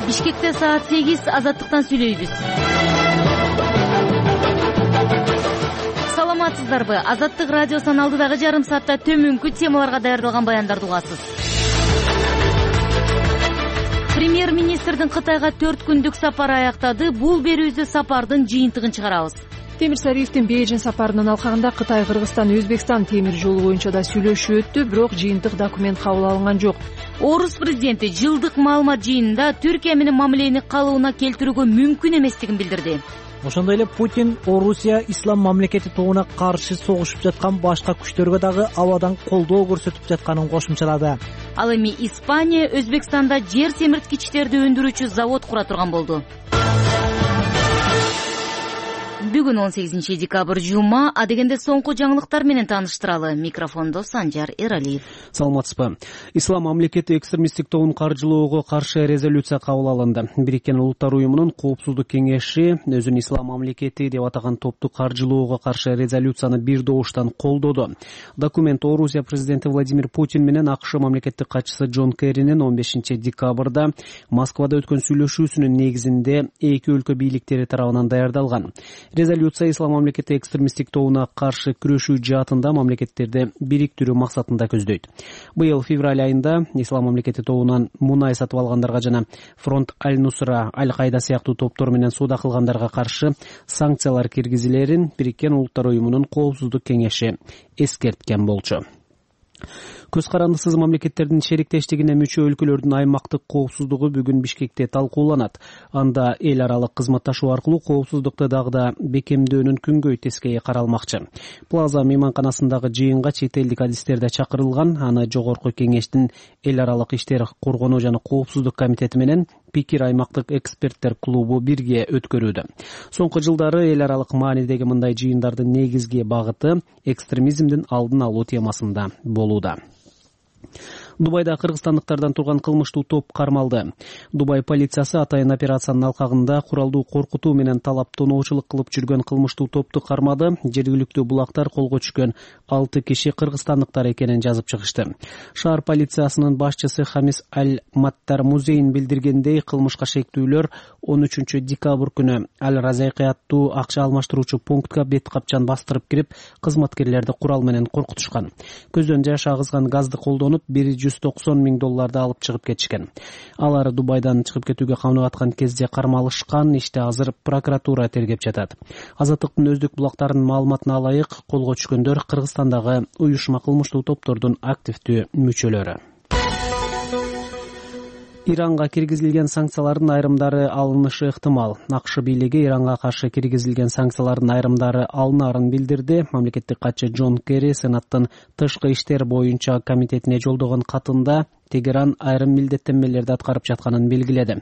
Бишкекте саат 8 Азаттыктан сүйлөйбүз. Саламатсыздарбы? Азаттык радиосунун алдыдагы жарым саатта төмөнкү темаларга даярдалган баяндарды угасыз. Премьер-министрдин Кытайга 4 күндүк сапары аяктады. Бул берүүбүздө сапардын жыйынтыгын чыгарабыз. Темир Сариевдин Бейжин сапарынын алкагында Кытай, Кыргызстан, Өзбекстан темир жолу боюнча да сүйлөшүү өттү, бирок жыйынтык документ кабыл алынган жок. Орус президенти жылдык маалымат жыйынында Түркия менен мамилени калыбына келтирүүгө мүмкүн эместигин билдирди. Ошондой эле Путин Орусия ислам мамлекети тобуна каршы согушуп жаткан башка күчтөргө дагы абадан колдоо көрсөтүп жатканын кошумчалады. Ал эми Испания Өзбекстанда жер семирткичтерди өндүрүүчү завод кура турган болду. Бүгүн 18 декабрь жума, адегенде соңку жаңылыктар менен тааныштыралы. Микрофондо Санжар Эралиев. Саламатсызбы. Ислам мамлекети экстремисттик тобун каржылоого каршы резолюция кабыл алынды. Бириккен Улуттар уюмунун коопсуздук кеңеши өзүн ислам мамлекети деп атаган топту каржылоого каршы резолюцияны бир добуштан колдоду. Документ Орусия президенти Владимир Путин менен АКШ мамлекеттик катчысы Джон Керринин 15 декабрда Москвада өткөн сүйлөшүүсүнүн негизинде эки өлкө бийликтери тарабынан даярдалган. Резолюция ислам мамлекети экстремисттик тобуна каршы күрөшүү жаатында мамлекеттерди бириктирүү максатында көздөйт. Быйыл февраль айында ислам мамлекети тобунан мунай сатып алгандарга жана Фронт Аль-Нусра, Аль-Кайда сыяктуу топтор менен соода кылгандарга каршы санкциялар киргизилерин Бириккен Улуттар уюмунун коопсуздук кеңеши эскерткен болчу. Көз карандысыз мамлекеттердин шериктештигине мүчө өлкөлөрдүн аймактык коопсуздугу бүгүн Бишкекте талкууланат. Анда эл аралык кызматташуу аркылуу коопсуздукты дагы да бекемдөөнүн күнгөй тескейи каралмакчы. Плаза мейманканасындагы жыйынга чет элдик адистер да чакырылган. Аны жогорку кеңештин эл аралык иштер коргонуу жана коопсуздук комитети менен Пикир аймактык эксперттер клубу бирге өткөрүүдө. Соңку жылдары эл аралык маанидеги мындай жыйындардын негизги багыты экстремизмдин алдын алуу темасында болууда. Дубайда кыргызстандыктардан турган кылмыштуу топ кармалды. Дубай полициясы атайын операциянын алкагында куралдуу коркутуу менен талап тоноочулук кылып жүргөн кылмыштуу топту кармады. Жергиликтүү булактар колго түшкөн 6 киши кыргызстандыктар экенин жазып чыгышты. Шаар полициясынын башчысы Хамис Аль-Маттар Музейин билдиргендей, кылмышка шектүүлөр 13 декабрь күнү Аль-Разайкы аттуу акча алмаштыруучу пунктка бет капчан бастырып кирип, кызматкерлерди курал менен коркутушкан. Көздөн жаш агызган газды колдонуп, $190,000 алып чыгып кетишкен. Алар Дубайдан чыгып кетүүгө каманып аткан кезде кармалышкан. Иште азыр прокуратура тергеп жатат. Азаттыктын өздүк булактарынын маалыматына алайык, колго түшкөндөр Кыргызстандагы уюшма кылмыштуу топтордун активдүү мүчөлөрү. Иранга киргизилген санкциялардын айрымдары алынышы ыктымал. АКШ бийлиги Иранга каршы киргизилген санкциялардын айрымдары алынарын билдирди. Мамлекеттик катчы Джон Керри Сенаттын тышкы иштер боюнча комитетине жолдогон катында Тегеран айрым милдеттенмелерди аткарып жатканын белгиледи.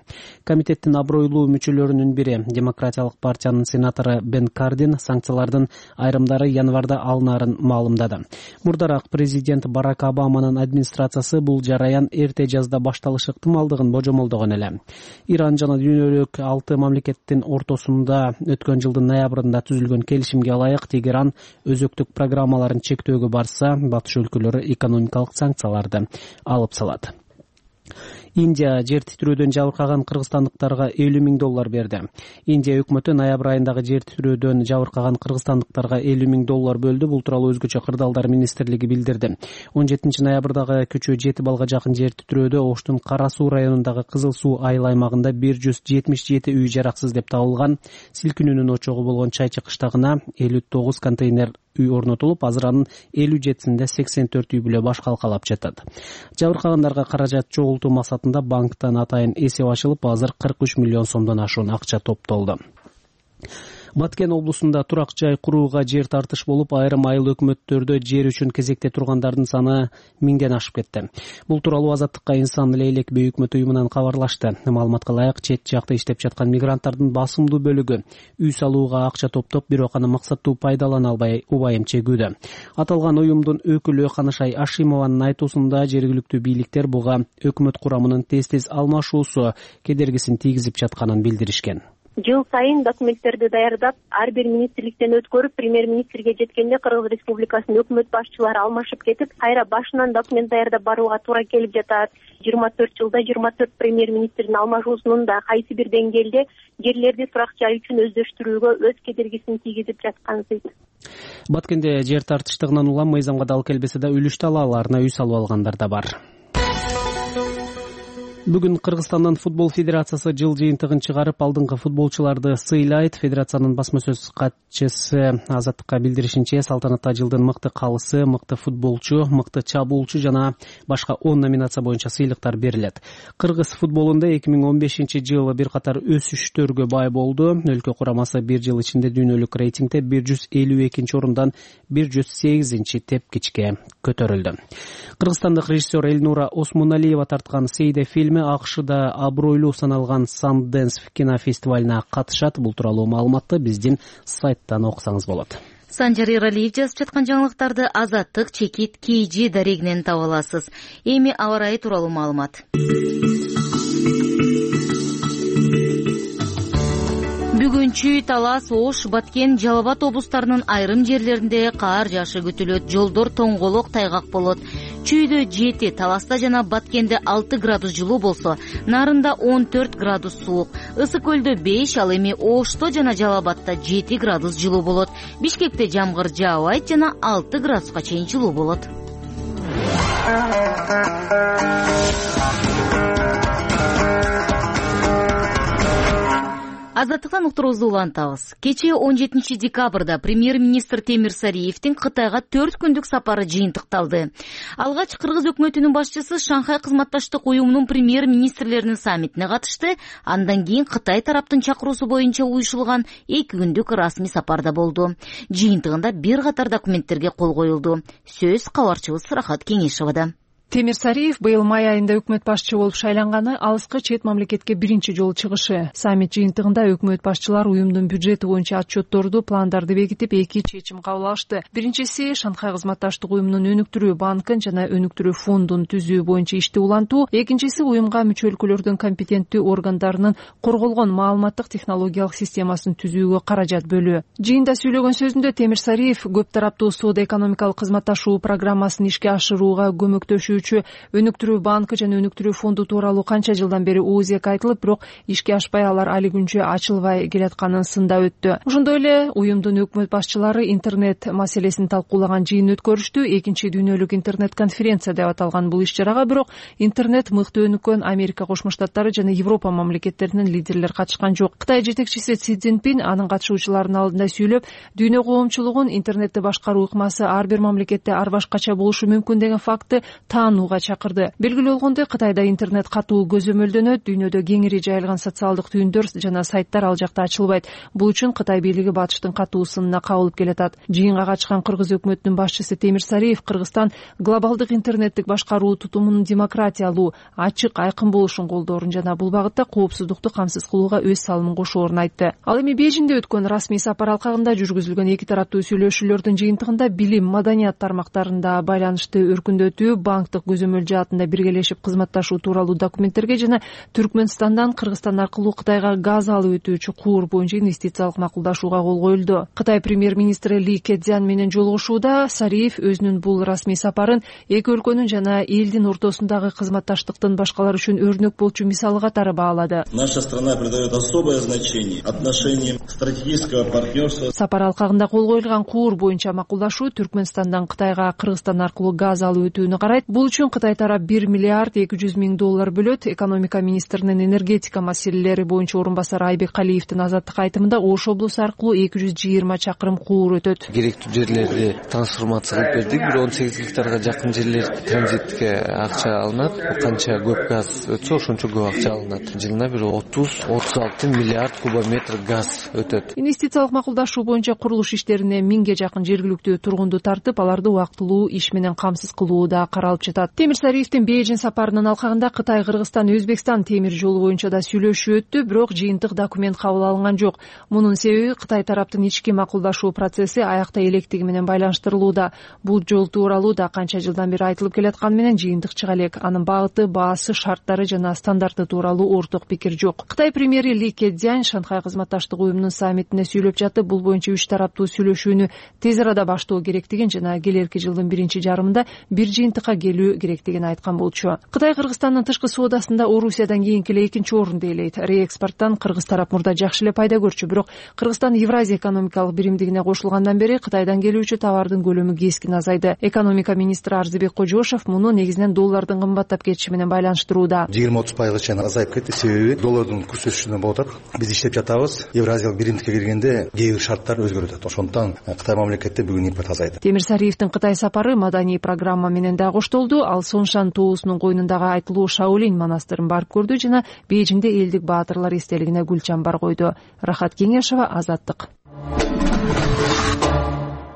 Комитеттин абройлуу мүчөлөрүнүн бири, Демократиялык партиянын сенатору Бен Кардин, санкциялардын айрымдары январда алынарын маалымдады. Мурдараак президент Барак Обаманын администрациясы бул жараян эрте жазда башталышы ыктымалдыгын божомолдогон эле. Иран жана дүйнөлүк 6 мамлекеттин ортосунда өткөн жылдын ноябрында түзүлгөн келишимге ылайык Тегеран өзөктүк программаларын чектөөгө барса, батыш өлкөлөрү экономикалык санкцияларды алып салат. Индия жер титирөөдөн жабыркаган кыргызстандыктарга $50,000 берди. Индия өкмөтү ноябрь айындагы жер титирөөдөн жабыркаган кыргызстандыктарга $50,000 бөлдү. Бул тууралуу өзгөчө кырдаалдар министрлиги билдирди. 17 ноябрдагы күчү 7 балга жакын жер титирөөдө Оштун Кара Суу районундагы Кызыл Суу айыл аймагында 177 үй жараксыз деп табылган. Силкинүүнүн очогу болгон Чайчы кыштагына 59 контейнер үй орнотулуп, азыр анын 57-синде 84 үй бүлө баш калкалап жатат. Жабыркагандарга каражат чогултуу максатында банктан атайын эсеп ачылып, азыр 43 миллион сомдон ашуун акча топтолду. Баткен облусунда турак жай курууга жер тартыш болуп, айрым айыл өкмөттөрдө жер үчүн кезекте тургандардын саны 1000ден ашып кетти. Бул тууралуу Азаттыкка Инсан Лейлек бей өкмөт уюмунан кабарлашты. Маалыматка ылайык, чет жакта иштеп жаткан мигранттардын басымдуу бөлүгү үй салууга акча топтоп, бирок аны максаттуу пайдалана албай убайым чегүүдө. Аталган уюмдун өкүлү Канышай Ашимованын айтуусунда, жергиликтүү бийликтер буга өкмөт курамынын тез-тез алмашуусу кедергисин тийгизип жатканын билдиришкен. Жыл сайын документтерди даярдап, ар бир министрликтен өткөрүп, премьер-министрге жеткенде Кыргыз Республикасынын өкмөт башчылары алмашып кетип, кайра башынан документ даярдап барууга туура келип жатат. 24 жылда 24 премьер-министрдин алмашуусунун да кайсы бир деңгээлде жерлерди турак жай үчүн өздөштүрүүгө өз кедергисин тийгизип жаткансыз. Баткенде жер тартыштыгынан улам мыйзамга дал келбесе да үлүш талааларына үй салып алгандар да бар. Бүгүн Кыргызстандын футбол федерациясы жыл жыйынтыгын чыгарып, алдыңкы футболчуларды сыйлайт. Федерациянын басма сөз катчысы Азаттыкка билдиришинче, салтанатта жылдын мыкты калысы, мыкты футболчу, мыкты чабуулчу жана башка 10 номинация боюнча сыйлыктар берилет. Кыргыз футболунда 2015-жылы бир катар өсүштөргө бай болду. Өлкө курамасы бир жыл ичинде дүйнөлүк рейтингде 152-орундан 108 тепкичке көтөрүлдү. Кыргызстандык режиссер Эльнура Осмоналиева тарткан Сейде фильми АКШда абройлуу саналган Sundance кинофестивалына катышат. Бул тууралуу маалыматты биздин сайттан окусаңыз болот. Санжар Эралиев жазып жаткан жаңылыктарды Азаттык, Чекит, KG дарегинен таба аласыз. Эми аба ырайы тууралуу маалымат. Бүгүн Чүй, Талас, Ош, Баткен, Жалал Абад облустарынын айрым жерлеринде каар жаашы күтүлөт. Жолдор тоңголок, тайгак болот. Чүйдө 7, Таласта жана Баткенде 6 градус жылуу болсо, Нарында 14 градус суук. Ысык көлдө 5, ал эми Ошто жана Жалал Абадта 7 градус жылуу болот. Бишкекте жамгыр жаабайт жана 6 градуска чейин жылуу болот. Азаттыктан уктуруубузду улантабыз. Кечээ 17 декабрда премьер-министр Темир Сариевдин Кытайга 4 күндүк сапары жыйынтыкталды. Алгач Кыргыз өкмөтүнүн башчысы Шанхай кызматташтык уюмунун премьер-министрлеринин саммитине катышты. Андан кийин Кытай тараптын чакыруусу боюнча уюшулган 2 күндүк расмий сапарда болду. Жыйынтыгында бир катар документтерге кол коюлду. Сөз кабарчыбыз Рахат Кеңешевада. Темир Сариев быйыл май айында өкмөт башчы болуп шайланганы алыскы чет мамлекетке биринчи жолу чыгышы. Саммит жыйынтыгында өкмөт башчылар уюмдун бюджети боюнча отчетторду, пландарды бекитип, 2 чечим кабыл алышты. Биринчиси Шанхай кызматташтык уюмунун өнүктүрүү банкын жана өнүктүрүү фондун түзүү боюнча ишти улантуу. Экинчиси уюмга мүчө өлкөлөрдүн компетенттүү органдарынын корголгон маалыматтык технологиялык системасын түзүүгө каражат бөлүү. Жыйында сөйлөгөн сөзүндө Темир Сариев көп тараптуу соода-экономикалык кызматташуу программасын ишке ашырууга көмөктөшүү өнүктүрүү банкы жана өнүктүрүү фонду тууралуу канча жылдан бери ООЗек айтылып, бирок ишке ашпай, алар али күнчө ачылбай келатканын сындап өттү. Ошондой эле уюмдун өкмөт башчылары интернет маселесин талкуулаган жыйын өткөрүштү. Экинчи дүйнөлүк интернет конференция деп аталган бул иш-чарага бирок интернет мыкты өнүккөн Америка Кошмо Штаттары жана Европа мамлекеттеринин лидерлери катышкан жок. Кытай жетекчиси Си Цзиньпин анын катышуучуларынын алдында сүйлөп, дүйнө коомчулугун интернетти башкаруу ыкмасы ар бир мамлекетте ар башкача болушу мүмкүн деген факты чакырды. Белгилүү болгондой, Кытайда интернет катуу көзөмөлдөнөт, дүйнөдө кеңири жайылган социалдык түйүндөр жана сайттар ал жакта ачылбайт. Бул үчүн Кытай бийлиги батыштын катуу сынына кабылып келатат. Жыйынга катышкан Кыргыз өкмөтүнүн башчысы Темир Сариев Кыргызстан глобалдык интернеттик башкаруу тутумунун демократиялуу, ачык, айкын болушун колдоорун жана бул багытта коопсуздукту камсыз кылууга өз салымын кошоорун айтты. Ал эми Бейжиңде өткөн расмий сапар алкагында жүргүзүлгөн 2 тараптуу сүйлөшүүлөрдүн жыйынтыгында билим, маданият тармактарында байланышты өркүндөтүү, банктык көзөмөл жаатында биргелешип кызматташуу тууралуу документтерге жана Түркмөнстандан Кыргызстан аркылуу Кытайга газ алып өтүүчү куур боюнча инвестициялык макулдашууга кол коюлду. Кытай премьер-министри Ли Кэцзян менен жолугушууда Сариев өзүнүн бул расмий сапарын эки өлкөнүн жана элдин ортосундагы кызматташтыктын башкалар үчүн өрнөк болчу мисалы катары баалады. Наша страна придает особое значение отношениям стратегического партнерства. Сапар алкагында кол коюлган куур боюнча макулдашуу Түркмөнстандан Кытайга Кыргызстан аркылуу газ алып өтүүнү карайт. Бул үчүн Кытай тарап 1 миллиард 200 миң доллар бөлөт. Экономика министринин энергетика маселелери боюнча орун басары Айбек Калиевдин Азаттык айтымында Ош облусу аркылуу 220 чакырым куур өтөт. Керектүү жерлерди трансформация кылып бердик. 18 гектарга жакын жерлер транзитке акча алынат. Канча көп газ өтсө ошончо көп акча алынат. Жылына бир 30-36 миллиард кубометр газ өтөт. Инвестициялык макулдашуу боюнча курулуш иштерине 1000ге жакын жергиликтүү тургунду тартып, аларды убактылуу иш менен камсыз кылуу да каралып жатат. Темирсариевдин Бейжин сапарынын алкагында Кытай, Кыргызстан, Өзбекстан темир жолу боюнча да сүйлөшүү өттү, бирок жыйынтык документ кабыл алынган жок. Мунун себеби Кытай тараптын ички макулдашуу процесси аякта электиги менен байланыштырылууда. Бул жол тууралуу да канча жылдан бери айтылып келатканы менен жыйынтык чыга элек. Анын багыты, баасы, шарттары жана стандарты тууралуу орток пикир жок. Кытай премьери Ли Кедзянь Шанхай кызматташтык уюмунун саммитине сүйлөп жатып, бул боюнча 3 тараптуу сүйлөшүүнү тез арада баштоо керектигин жана келерки жылдын биринчи жарымында бир жыйынтыкка келүү керектигин айткан болчу. Кытай Кыргызстандын тышкы соодасында Орусиядан кийинки эле экинчи орунду ээлейт. Реэкспорттон Кыргыз тарап мурда жакшы эле пайда көрчү, бирок Кыргызстан Евразия экономикалык биримдигине кошулгандан бери Кытайдан келүүчү товардын көлөмү кескин азайды. Экономика министри Арзыбек Кожошов муну негизинен доллардын кымбаттап кетиши менен байланыштырууда. 20-30% чейин азайып кетти. Себеби доллардын курс өсүшүнөн болуп атат. Биз иштеп жатабыз. Евразиялык биримдикке киргенде кээ бир шарттар өзгөрүп атат. Ошондуктан Кытай мамлекетте бүгүн импорт азайды. Темирсариевдин Кытай сапары маданий программа менен да коштолду. Ал Соншан тоосунун койнундагы айтылуу Шаолинь монастырын барып көрдү жана Бейжиңде элдик баатырлар эстелигине гүл чамбар койду. Рахат Кеңешова, Азаттык.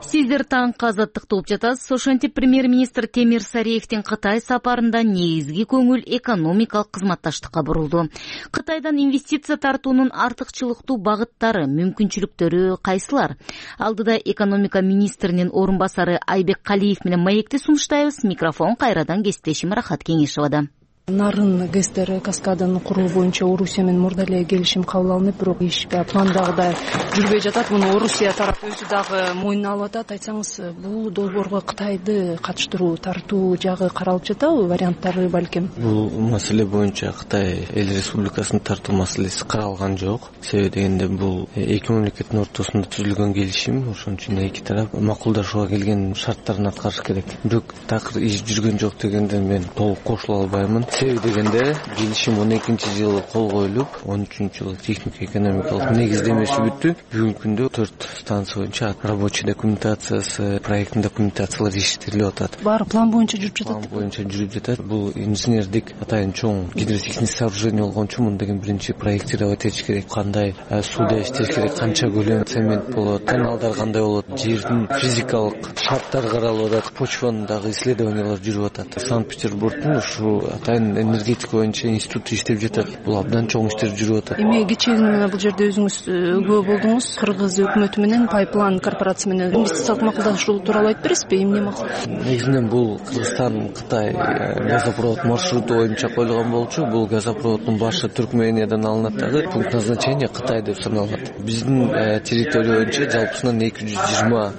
Сиздер таңкы Азаттыкты угуп жатасыз. Ошентип премьер-министр Темирсариевдин Кытай сапарында негизги көңүл экономикалык кызматташтыкка бурулду. Кытайдан инвестиция тартуунун артыкчылыктуу багыттары, мүмкүнчүлүктөрү кайсылар? Алдыда экономика министринин орун басары Айбек Калиев менен маекти сунуштайбыз. Микрофон кайрадан кесиптешим Рахат Кеңешовада. Нарын ГЭСтер каскадын куруу боюнча Орусия менен мурда эле келишим кабыл алынып, бирок иш пландагыдай жүрбөй жатат. Муну Орусия тарап өзү дагы мойнуна алып атат. Айтсаңыз, бул долбоорго Кытайды катыштыруу, тартуу жагы каралып жатабы, варианттары балким? Бул маселе боюнча Кытай эл республикасын тартуу маселеси каралган жок. Себеби дегенде бул эки мамлекеттин ортосунда түзүлгөн келишим, ошон үчүн эки тарап макулдашууга келген шарттарын аткарыш керек. Бирок такыр иш жүргөн жок дегенде мен толук кошула албаймын. Себеби дегенде келишим 12-жылы кол коюлуп, 13-жылы технико-экономикалык негиздемеси бүттү. Бүгүнкү күндө 4 станция боюнча рабочий документациясы, проекттин документациялары иштелип атат. Баары план боюнча жүрүп жатат. План боюнча жүрүп жатат. Бул инженердик атайын чоң гидротехник сооружение болгон үчүн муну деген биринчи проектировать этиш керек. Кандай сууда иштеш керек, канча көлөм цемент болот, каналдар кандай болот, жердин физикалык шарттары каралып атат, почванын дагы исследованиялар жүрүп атат. Санкт-Петербургдун ушу атайын энергетика боюнча институт иштеп жатат. Бул абдан чоң иштер жүрүп атат. Эми кечээ бул жерде өзүңүз күбө болдуңуз. Кыргыз өкмөтү менен Пайплан корпорациясы менен инвестициялык макулдашуу тууралуу айтып бересизби? Эмне максат? Негизинен бул Кыргызстан Кытай газопровод маршруту боюнча коюлган болчу. Бул газопроводдун башы Түркмениядан алынат дагы, пункт назначения Кытай деп саналат. Биздин территория боюнча жалпысынан 220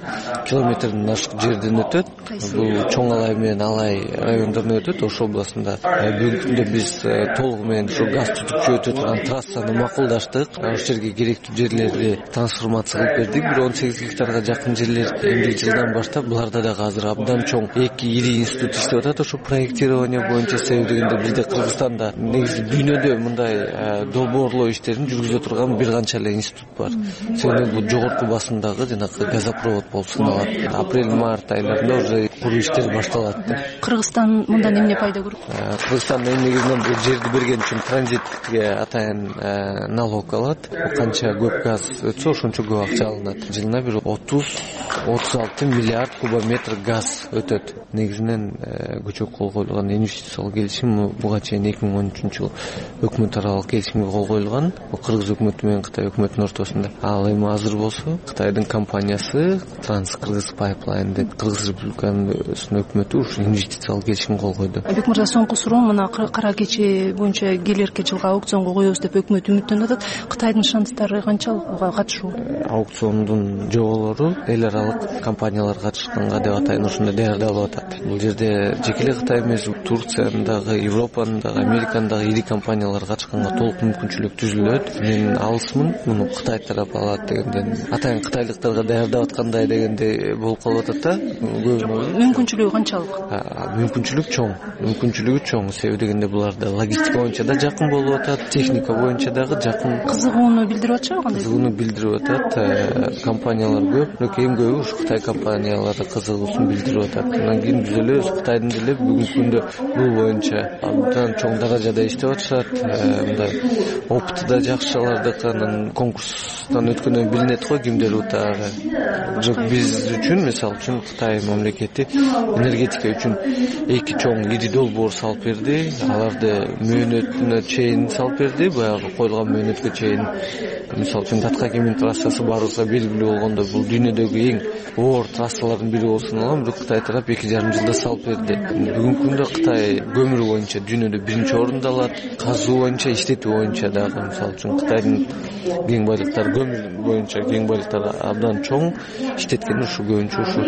километрден ашык жерден өтөт. Бул Чоң Алай менен Алай райондорунан өтөт, Ош областында. Бүгүнкү күндө биз толугу менен ушу газ түтүкчү өтө турган трассаны макулдаштык. Ошол жерге керектүү жерлерди трансформация кылып бердик. Бир 18 гектарга жакын жерлер эмдиги жылдан баштап буларда дагы азыр абдан чоң эки ири институт иштеп атат. Ошо проектирование боюнча. Себеби дегенде бизде Кыргызстанда негизи дүйнөдө мындай долбоорлоо иштерин жүргүзө турган бир канча эле институт бар. Себеби бул жогорку басымдагы жанагы газопровод болуп саналат. Апрель-март айларында уже куруу иштери башталат. Кыргызстан мындан эмне пайда көрөт? Кыргызстан негизинен бул жерди берген үчүн транзитке атайын налог алат. Канча көп газ өтсө ошончо көп акча алынат. Жылына бир 30-36 миллиард кубометр газ өтөт. Негизинен көчөк кол коюлган инвестициялык келишим буга чейин 2013-жылы өкмөт аралык келишимге кол коюлган. Бул Кыргыз өкмөтү менен Кытай өкмөтүнүн ортосунда. Ал эми азыр болсо Кытайдын компаниясы Транскыргыз Пайплайн деп Кыргыз Республикасынын өкмөтү ушу инвестициялык келишимге кол койду. Айбек мырза, соңку суроо мына кара кече боюнча келерки жылга аукционго коебуз деп өкмөт үмүттөнүп атат. Кытайдын шанстары канчалык буга катышуу? Аукциондун жоболору эл аралык компаниялар катышканга деп атайын ошондой даярдалып атат. Бул жерде жеке эле Кытай эмес, Турциянын дагы, Европанын дагы, Американын дагы ири компаниялар катышканга толук мүмкүнчүлүк түзүлөт. Мен алысмын муну Кытай тарап алат дегенден. Атайын кытайлыктарга даярдап аткандай дегенде болуп калып атат да. Мүмкүнчүлүгү канчалык? Мүмкүнчүлүк чоң. Себеби дегенде буларда логистика боюнча да жакын болуп атат, техника боюнча дагы жакын. Кызыгууну билдирип атышабы кандай? Кызыгууну билдирип атат. Компаниялар көп, бирок эң көбү ушу Кытай компаниялары кызыгуусун билдирип атат. Андан кийин биз эле Кытайдын деле бүгүнкү күндө бул боюнча абдан чоң даражада иштеп атышат. Мындай опыты да жакшы алардыкы, анан конкурстан өткөндөн билинет го кимдер утаары. Жок, биз үчүн, мисалы үчүн Кытай мамлекети энергетика үчүн эки чоң ири долбоор салып берди. Аларды мөөнөтүнө чейин салып берди. Баягы коюлган мөөнөткө чейин, мисалы үчүн Таткакемин трассасы баарыбызга белгилүү болгондо, бул дүйнөдөгү эң оор трассалардын бири болсун алам, бирок Кытай тарап 2,5 жылда салып берди. Бүгүнкү күндө Кытай көмүр боюнча дүйнөдө биринчи орунда алат. Казуу боюнча, иштетүү боюнча дагы, мисалы үчүн Кытайдын кең байлыктары, көмүр боюнча кең байлыктары абдан чоң. Иштеткен ушу көбүнчө ушу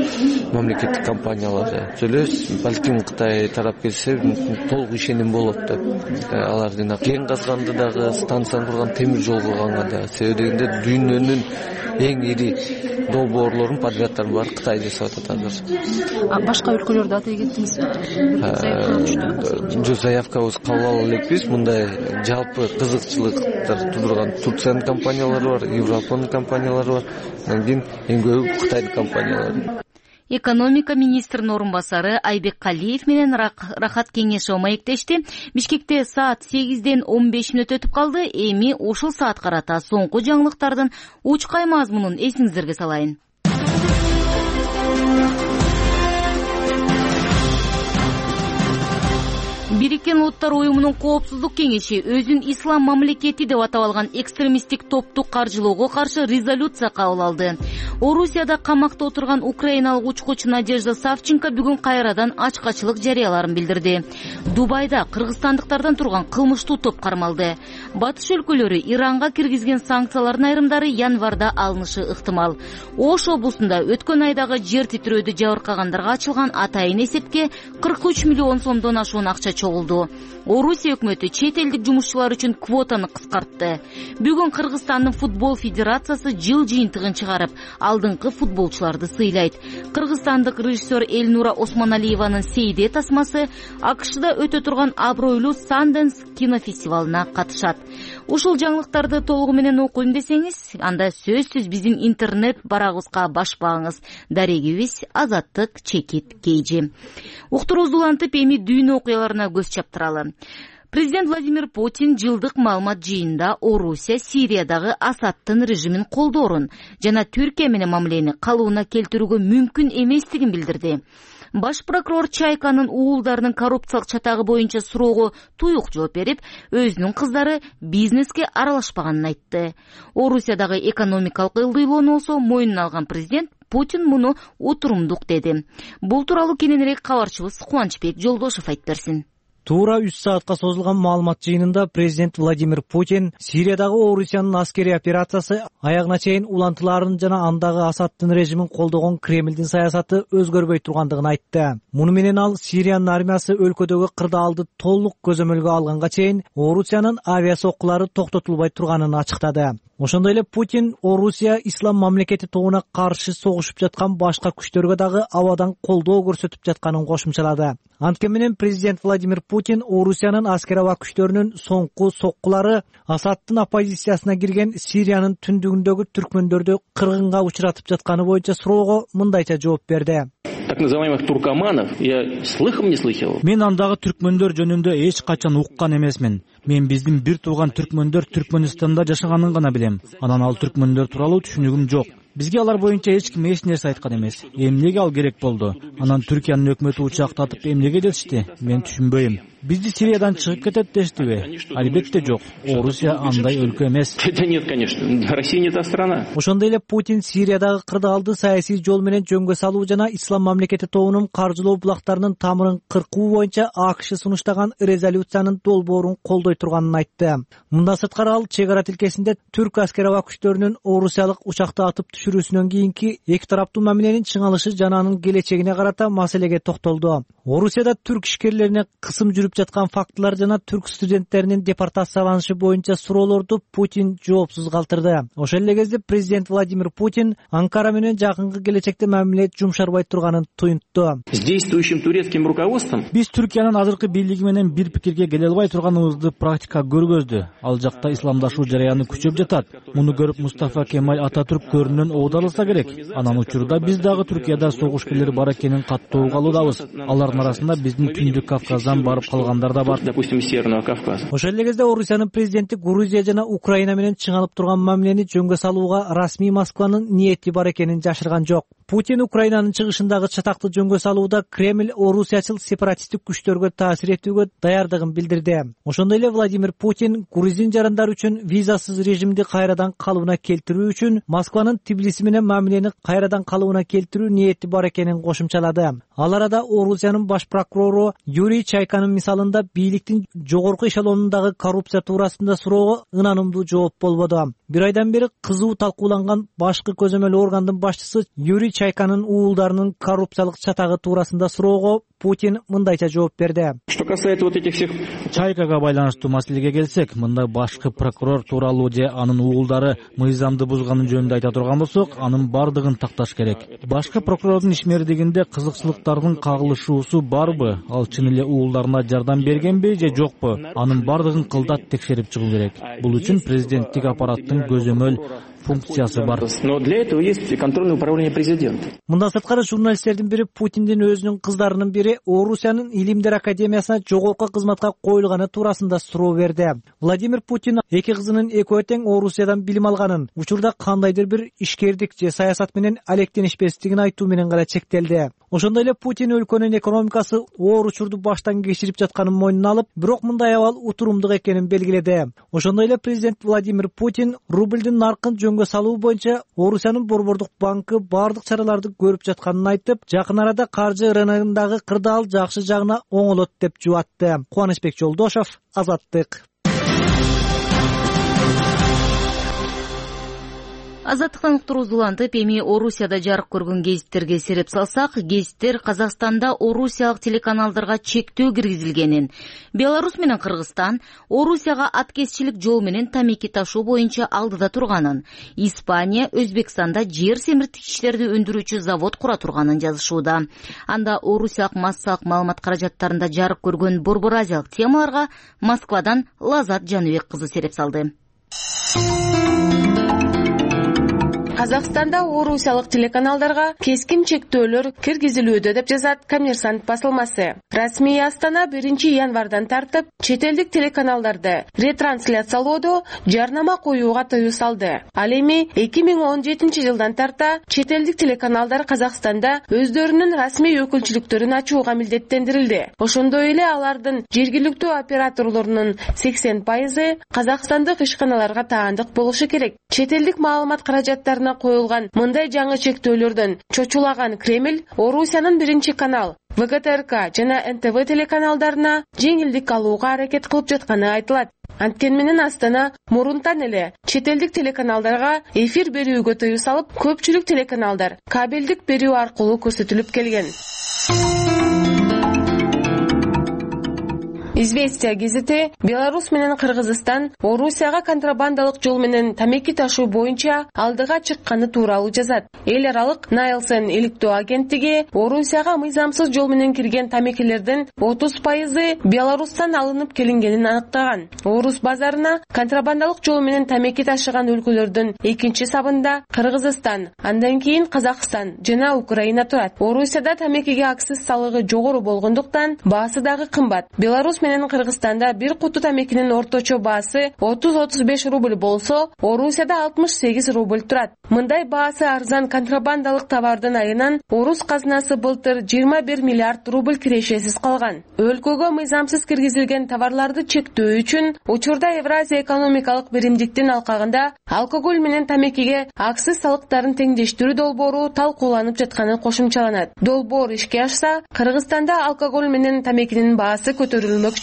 мамлекеттик компаниялар. Сөйлөбүз, балким Кытай тарап келсе толук ишеним болот деп. Алардын кен казганды дагы, станцияны курган, темир жол курганга да. Себеби дегенде дүйнөнүн эң ири долбоорлорун, подряддарын баары Кытай жасап атат азыр. Башка өлкөлөрдө атай кеттиңизби? Жок, заявкабыз кабыл ала элекпиз. Мындай жалпы кызыкчылыктар тудурган Турциянын компаниялары бар, Европанын компаниялары бар. Андан кийин эң көбү Кытайдын компаниялары. Экономика министринин орун басары Айбек Калиев менен Рахат Кеңешова маектешти. Бишкекте саат 8ден 15 мүнөт өтүп калды. Эми ушул саат карата соңку жаңылыктардын учкай мазмунун эсиңиздерге салайын. Бириккен Улуттар уюмунун коопсуздук кеңеши өзүн ислам мамлекети деп атап алган экстремисттик топту каржылоого каршы резолюция кабыл алды. Орусияда камакта отурган украиналык учкуч Надежда Савченко бүгүн кайрадан ачкачылык жарыяларын билдирди. Дубайда кыргызстандыктардан турган кылмыштуу топ кармалды. Батыш өлкөлөрү Иранга киргизген санкциялардын айрымдары январда алынышы ыктымал. Ош облусунда өткөн айдагы жер титирөөдө жабыркагандарга ачылган атайын эсепке 43 миллион сомдон ашуун акча чогулду. Орусия өкмөтү чет элдик жумушчулар үчүн квотаны кыскартты. Бүгүн Кыргызстандын футбол федерациясы жыл жыйынтыгын чыгарып, алдыңкы футболчуларды сыйлайт. Кыргызстандык режиссер Элнура Осмоналиеванын Сейде тасмасы АКШда өтө турган абройлуу Sundance кинофестивалына катышат. Ушул жаңылыктарды толугу менен окуйм десеңиз, анда сөзсүз биздин интернет барагыбызга башпаңыз. Дарегибиз Азаттык Чекит Кейжи. Уктуруубузду улантып, эми дүйнө окуяларына көз чаптыралы. Президент Владимир Путин жылдык маалымат жыйынында Орусия Сириядагы Асадтын режимин колдоорун жана Түркия менен мамилени калыбына келтирүүгө мүмкүн эместигин билдирди. Баш прокурор Чайканын уулдарынын коррупциялык чатагы боюнча суроого туюк жооп берип, өзүнүн кыздары бизнеске аралашпаганын айтты. Орусиядагы экономикалык ылдыйлоону болсо мойнуна алган президент Путин муну утурумдук деди. Бул тууралуу кененирээк кабарчыбыз Кубанычбек Жолдошов айтып берсин. Туура 3 саатка созулган маалымат жыйынында президент Владимир Путин Сириядагы Орусиянын аскерий операциясы аягына чейин улантыларын жана андагы Асадтын режимин колдогон Кремлдин саясаты өзгөрбөй тургандыгын айтты. Муну менен ал Сириянын армиясы өлкөдөгү кырдаалды толук көзөмөлгө алганга чейин Орусиянын авиа соккулары токтотулбай турганын ачыктады. Ошондой эле Путин Орусия ислам мамлекети тобуна каршы согушуп жаткан башка күчтөргө дагы абадан колдоо көрсөтүп жатканын кошумчалады. Анткени менен президент Владимир Путин Орусиянын аскер аба күчтөрүнүн соңку соккулары Асадтын оппозициясына кирген Сириянын түндүгүндөгү түркмөндөрдү кыргынга учуратып жатканы боюнча суроого мындайча жооп берди. Так называемых туркоманов я слыхом не слыхал. Мен андагы түркмөндөр жөнүндө эч качан уккан эмесмин. Мен биздин бир тууган түркмөндөр Түркмөнстанда жашаганын гана билем. Анан ал түркмөндөр тууралуу түшүнүгүм жок. Бизге алар боюнча эч ким эч нерсе айткан эмес. Эмнеге ал керек болду? Анан Түркиянын өкмөтү учактатып эмнеге дешти? Мен түшүнбөйм. Бизди Сириядан чыгып кетет дештиби? Албетте жок. Орусия андай өлкө эмес. Это нет, конечно. Россия не та страна. Ошондой эле Путин Сириядагы кырдаалды саясий жол менен жөнгө салуу жана ислам мамлекети тобунун каржылоо булактарынын тамырын кыркуу боюнча АКШ сунуштаган резолюциянын долбоорун колдой турганын айтты. Мындан сырткары ал чек ара тилкесинде түрк аскер аба күчтөрүнүн орусиялык учакты атып түшүрүүсүнөн кийинки эки тараптуу мамиленин чыңалышы жана анын келечегине карата маселеге токтолду. Орусияда түрк ишкерлерине кысым жүрүп жүрүп жаткан фактылар жана түрк студенттеринин депортацияланышы боюнча суроолорду Путин жоопсуз калтырды. Ошол эле кезде президент Владимир Путин Анкара менен жакынкы келечекте мамиле жумшарбай турганын туюнтту. С действующим турецким руководством биз Түркиянын азыркы бийлиги менен бир пикирге келе албай турганыбызды практика көргөздү. Ал жакта исламдашуу жараяны күчөп жатат. Муну көрүп Мустафа Кемаль Ататүрк көрүнөн оодалса керек. Анан учурда биз дагы Түркияда согушкерлер бар экенин каттуу калуудабыз. Алардын арасында биздин Түндүк Кавказдан барып калгандар да бар. Допустим, Северного Кавказа. Ошол эле кезде Орусиянын президенти Грузия жана Украина менен чыңалып турган мамилени жөнгө салууга расмий Москванын ниети бар экенин жашырган жок. Путин Украинанын чыгышындагы чатакты жөнгө салууда Кремль орусиячыл сепаратисттик күчтөргө таасир этүүгө даярдыгын билдирди. Ошондой эле Владимир Путин грузин жарандары үчүн визасыз режимди кайрадан калыбына келтирүү үчүн Москванын Тбилиси менен мамилени кайрадан калыбына келтирүү ниети бар экенин кошумчалады. Ал арада Орусиянын баш прокурору Юрий Чайканын мисалында бийликтин жогорку эшелонундагы коррупция туурасында суроого ынанымдуу жооп болбоду. Бир айдан бери кызуу талкууланган башкы көзөмөл органдын башчысы Юрий Чайканын уулдарынын коррупциялык чатагы туурасында суроого Путин мындайча жооп берди. Что касается вот этих всех Чайкага байланыштуу маселеге келсек, мында башкы прокурор тууралуу же анын уулдары мыйзамды бузганын жөнүндө айта турган болсок, анын бардыгын такташ керек. Башкы прокурордун ишмердигинде кызыкчылыктардын кагылышуусу барбы? Ал чын эле уулдарына жардам бергенби же жокпу? Анын бардыгын кылдат текшерип чыгуу керек. Бул үчүн президенттик аппараттын көзөмөл функциясы бар. Но для этого есть контрольное управление президента. Мындан сырткары журналисттердин бири Путиндин өзүнүн кыздарынын бири Орусиянын Илимдер академиясына жогорку кызматка коюлганы туурасында суроо берди. Владимир Путин эки кызынын экөө тең Орусиядан билим алганын, учурда кандайдыр бир ишкердик же саясат менен алектенишпестигин айтуу менен гана чектелди. Ошондой эле Путин өлкөнүн экономикасы оор учурду баштан кечирип жатканын мойнуна алып, бирок мындай абал утурумдук экенин белгиледи. Ошондой эле президент Владимир Путин рубльдин наркын жөнгө салуу боюнча Орусиянын Борбордук банкы бардык чараларды көрүп жатканын айтып, жакын арада каржы рыногундагы кырдаал жакшы жагына оңолот деп жубатты. Кубанычбек Жолдошов, Азаттык. Азаттыктан уктуруубузду улантып, эми Орусияда жарык көргөн гезиттерге сереп салсак, гезиттер Казакстанда орусиялык телеканалдарга чектөө киргизилгенин, Беларусь менен Кыргызстан Орусияга аткезчилик жол менен тамеки ташуу боюнча алдыда турганын, Испания Өзбекстанда жер семирткичтерди өндүрүүчү завод кура турганын жазышууда. Анда орусиялык массалык маалымат каражаттарында жарык көргөн борбор азиялык темаларга Москвадан Лазат Жаныбек кызы сереп салды. Казакстанда орусиялык телеканалдарга кескин чектөөлөр киргизилүүдө деп жазат Коммерсант басылмасы. Расмий Астана 1-январдан тартып чет элдик телеканалдарды ретрансляциялоодо жарнама коюуга тыюу салды. Ал эми 2017-жылдан тарта чет элдик телеканалдар Казакстанда өздөрүнүн расмий өкүлчүлүктөрүн ачууга милдеттендирилди. Ошондой эле алардын жергиликтүү операторлорунун 80% казакстандык ишканаларга таандык болушу керек. Чет элдик маалымат каражаттарына коюлган мындай жаңы чектөөлөрдөн чочулаган Кремль Орусиянын 1-канал, ВГТРК жана НТВ телеканалдарына жеңилдик алууга аракет кылып жатканы айтылат. Анткени менен Астана мурунтан эле чет элдик телеканалдарга эфир берүүгө тыюу салып, көпчүлүк телеканалдар кабелдик берүү аркылуу көрсөтүлүп келген. Известия гезити Беларусь менен Кыргызстан Орусияга контрабандалык жол менен тамеки ташуу боюнча алдыга чыкканы тууралуу жазат. Эл аралык Найлсен иликтөө агенттиги Орусияга мыйзамсыз жол менен кирген тамекилердин 30% Беларустан алынып келингенин аныктаган. Орус базарына контрабандалык жол менен тамеки ташыган өлкөлөрдүн экинчи сабында Кыргызстан, андан кийин Казакстан жана Украина турат. Орусияда тамекиге акциз салыгы жогору болгондуктан баасы дагы кымбат. Беларусь менен Кыргызстанда бир куту тамекинин орточо баасы 30-35 рубль болсо, Орусияда 68 рубль турат. Мындай баасы арзан контрабандалык товардын айынан орус казынасы былтыр 21 миллиард рубль кирешесиз калган. Өлкөгө мыйзамсыз киргизилген товарларды чектөө үчүн учурда Евразия экономикалык биримдиктин алкагында алкоголь менен тамекиге акциз салыктарын теңдештирүү долбоору талкууланып жатканы кошумчаланат. Долбоор ишке ашса, Кыргызстанда алкоголь менен тамекинин баасы көтөрүлмөкчү.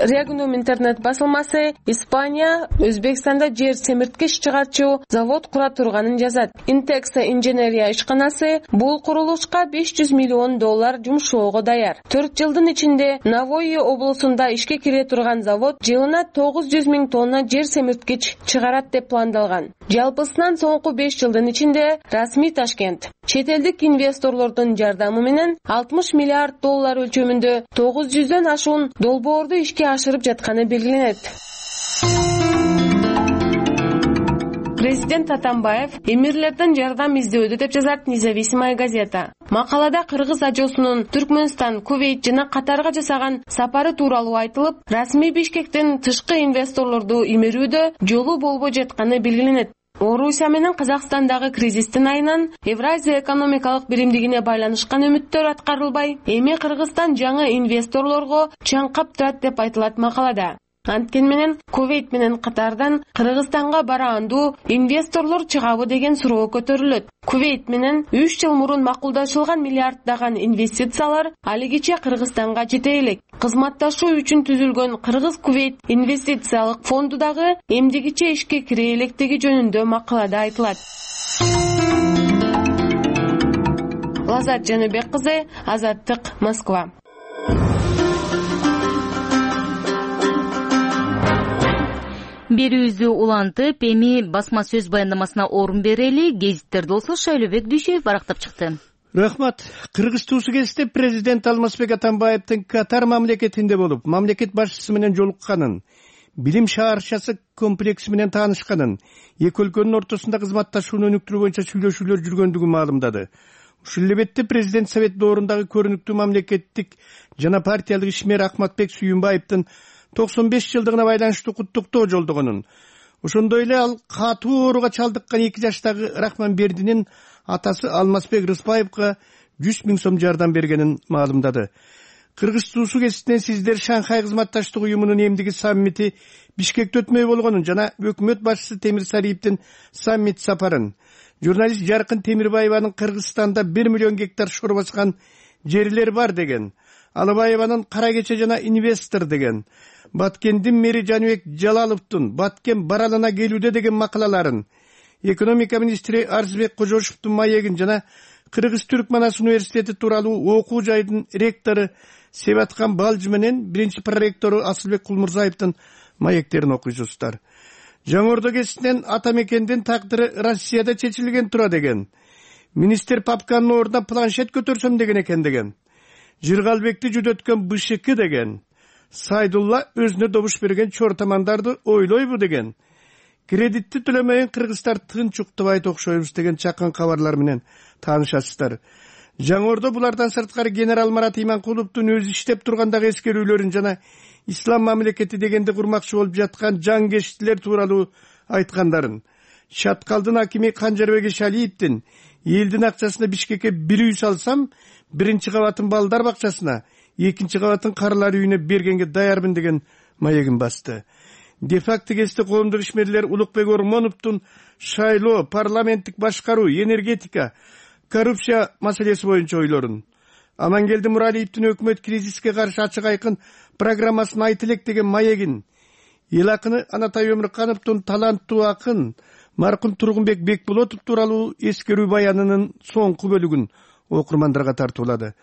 Regnum интернет басылмасы Испания Өзбекстанда жер семирткич чыгарчу завод кура турганын жазат. Intexa инженерия ишканасы бул курулушка $500 миллион жумшоого даяр. 4 жылдын ичинде Навойи облусунда ишке кире турган завод жылына 900 000 тонна жер семирткич чыгарат деп пландалган. Жалпысынан соңку 5 жылдын ичинде расмий Ташкент чет элдик инвесторлордун жардамы менен $60 миллиард өлчөмүндө 900дөн ашуун долбоорду ишке ашырып жатканы белгиленет. Президент Атамбаев эмирлерден жардам издөөдө деп жазат Независимая газета. Макалада кыргыз ажосунун Түркмөнстан, Кувейт жана Катарга жасаган сапары тууралуу айтылып, расмий Бишкектен тышкы инвесторлорду имерүүдө жолу болбой жатканы белгиленет. Орусия менен Казакстандагы кризистин айынан Евразия экономикалык биримдигине байланышкан үмүттөр аткарылбай, эми Кыргызстан жаңы инвесторлорго чаңкап турат деп айтылат макалада. Анткени менен Кувейт менен Катардан Кыргызстанга бараандуу инвесторлор чыгабы деген суроо көтөрүлөт. Кувейт менен 3 жыл мурун макулдашылган миллиарддаган инвестициялар алигиче Кыргызстанга жете элек. Кызматташуу үчүн түзүлгөн Кыргыз-Кувейт инвестициялык фонду дагы эмдигиче ишке кире электиги жөнүндө макалада айтылат. Лазат Жаныбек кызы, Азаттык, Москва. Берүүбүздү улантып, эми басма сөз баяндамасына орун берели. Гезиттерде болсо Шайлообек Дүйшөев барактап чыкты. Рахмат. Кыргыз туусу кезде президент Алмазбек Атамбаевдин Катар мамлекетинде болуп, мамлекет башчысы менен жолукканын, билим шаарчасы комплекси менен таанышканын, эки өлкөнүн ортосунда кызматташууну өнүктүрүү боюнча сүйлөшүүлөр жүргөндүгүн маалымдады. Ушул эле бетте президент Совет доорундағы көрүнүктүү мамлекеттик жана партиялык ишмер Ахматбек Сүйүнбаевдин 95 жылдыгына байланыштуу куттуктоо жолдогонун, ошондой эле ал катуу ооруга чалдыккан 2 жаштагы Рахманбердинин атасы Алмазбек Рыспаевга 100 000 сом жардам бергенин маалымдады. Кыргыз туусу кесинен сиздер Шанхай кызматташтык уюмунун эмдиги саммити Бишкекте өтмөй болгонун жана өкмөт башчысы Темирсариевдин саммит сапарын, журналист Жаркын Темирбаеванын Кыргызстанда 1 миллион гектар шор баскан жерлер бар деген, Алыбаеванын Кара кече жана инвестор деген, Баткендин мэри Жаныбек Жалаловдун Баткен баралана келүүдө деген макалаларын, экономика министри Арзбек Кожошевдун маегин жана Кыргыз Түркманас университети тууралуу окуу жайдын ректору Себаткан Балжы менен биринчи проректору Асылбек Кулмурзаевдин маектерин окуйсуздар. Жаңордо кесинен ата мекендин тагдыры Россияда чечилген тура деген, министр папканын ордуна планшет көтөрсөм деген экен деген, Жыргалбекти жүдөткөн БШК деген, Сайдулла өзүнө добуш берген чортамандарды ойлойбу деген, кредитти төлөмөйүн кыргыздар тынч уктубайт окшойбуз деген чакан кабарлар менен таанышасыздар. Жаңордо булардан сырткары генерал Марат Иманкуловдун өзү иштеп тургандагы эскерүүлөрүн жана ислам мамлекети дегенде курмакчы болуп жаткан жаңгештилер тууралуу айткандарын, Чаткалдын акими Канжарбек Шалиевдин элдин акчасына Бишкекке бир үй салсам, биринчи кабатын балдар бакчасына, экинчи кабатын карылар үйүнө бергенге даярмын деген маегин басты. Де-факто кесте коомдук ишмерлер Улукбек Ормоновдун шайлоо, парламенттик башкаруу, энергетика, коррупция маселеси боюнча ойлорун, Амангелди Муралиевдин өкмөт кризиске каршы ачык айкын программасын айт элек деген маегин, эл акыны Анатай Өмүркановдун таланттуу акын маркум Тургунбек Бекболотов тууралуу эскерүү баянынын соңку бөлүгүн окурмандарга тартуулады.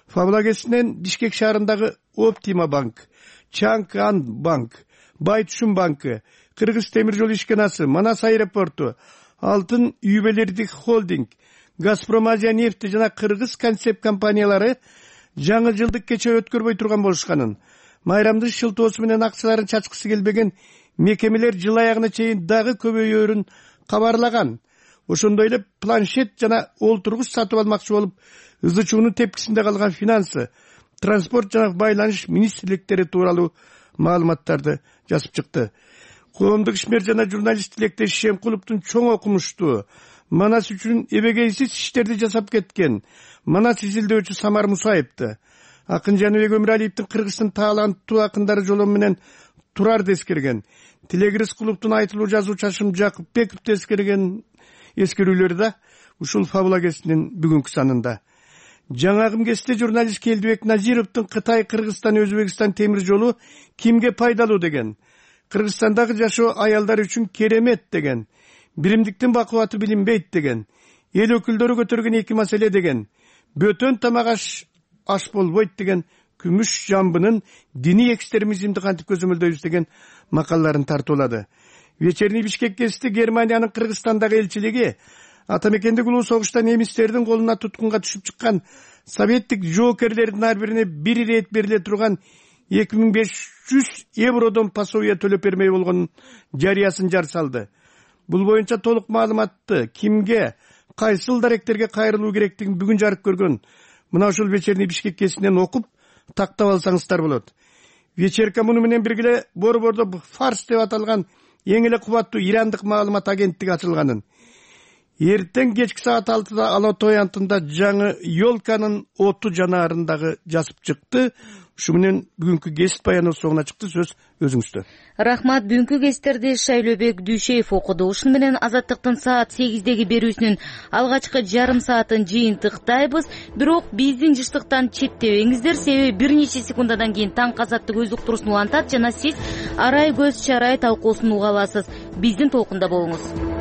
Фабла кесинен Бишкек шаарындагы Оптима банк, Чанган банк, Байтушун банкы, Кыргыз темир жол ишканасы, Манас аэропорту, Алтын Үйбелердик холдинг, Газпром Азия нефти жана Кыргыз концепт компаниялары жаңы жылдык кече өткөрбөй турган болушканын, майрамдын шылтоосу менен акчаларын чачкысы келбеген мекемелер жыл аягына чейин дагы көбөйөрүн кабарлаган. Ошондой эле планшет жана олтургуч сатып алмакчы болуп, ызычуунун тепкисинде калган финансы, транспорт жана байланыш министрликтери тууралуу маалыматтарды жазып чыкты. Коомдук ишмер жана журналист Тилектеш Шемкуловдун чоң окумуштуу, Манас үчүн эбегейсиз иштерди жасап кеткен Манас изилдөөчү Самар Мусаевди, акын Жаныбек Өмүралиевдин Кыргыздын таланттуу акындары жолу менен турарды эскерген, Тилек Рыскуловдун айтылуу жазуу Чашым Жакупбековду эскерген эскерүүлөр да ушул фабула кесинин бүгүнкү санында. Жаңагы кезде журналист Келдибек Назировдун Кытай, Кыргызстан, Өзбекстан темир жолу кимге пайдалуу деген, Кыргызстандагы жашоо аялдар үчүн керемет деген, биримдиктин бакубаты билинбейт деген, эл өкүлдөрү көтөргөн эки маселе деген, бөтөн тамак аш болбойт деген, күмүш жамбынын диний экстремизмди кантип көзөмөлдөйбүз деген макалаларын тартуулады. Вечерний Бишкек гезити Германиянын Кыргызстандагы элчилиги атамекендик улуу согушта немистердин колуна туткунга түшүп чыккан советтик жоокерлердин ар бирине бир ирет бериле турган 2500 евродон пособие төлөп бермей болгонун жарыясын жар салды. Бул боюнча толук маалыматты кимге, кайсыл даректерге кайрылуу керектигин бүгүн жарык көргөн мына ушул Вечерний Бишкек гезитинен окуп тактап алсаңыздар болот. Вечерка муну менен бирге борбордо Фарс деп аталган эң эле кубаттуу ирандык маалымат агенттиги ачылганын, эртең кечки саат 6-да Алатой антында жаңы Ёлканын оту жанаарындагы жазып чыкты. Ушу менен бүгүнкү гезит баяны соңуна чыкты. Сөз өзүңүздө. Рахмат. Бүгүнкү гезиттерди Шайлөбек Дүйшеев окуду. Ушуну менен Азаттыктын саат 8деги берүүсүнүн алгачкы жарым саатын жыйынтыктайбыз. Бирок биздин жыштыктан четтебеңиздер, себеби бир нече секундадан кийин таңкы азаттык өз уктуруусун улантат жана сиз арай көз чарай талкуусун уга аласыз. Биздин толкунда болуңуз.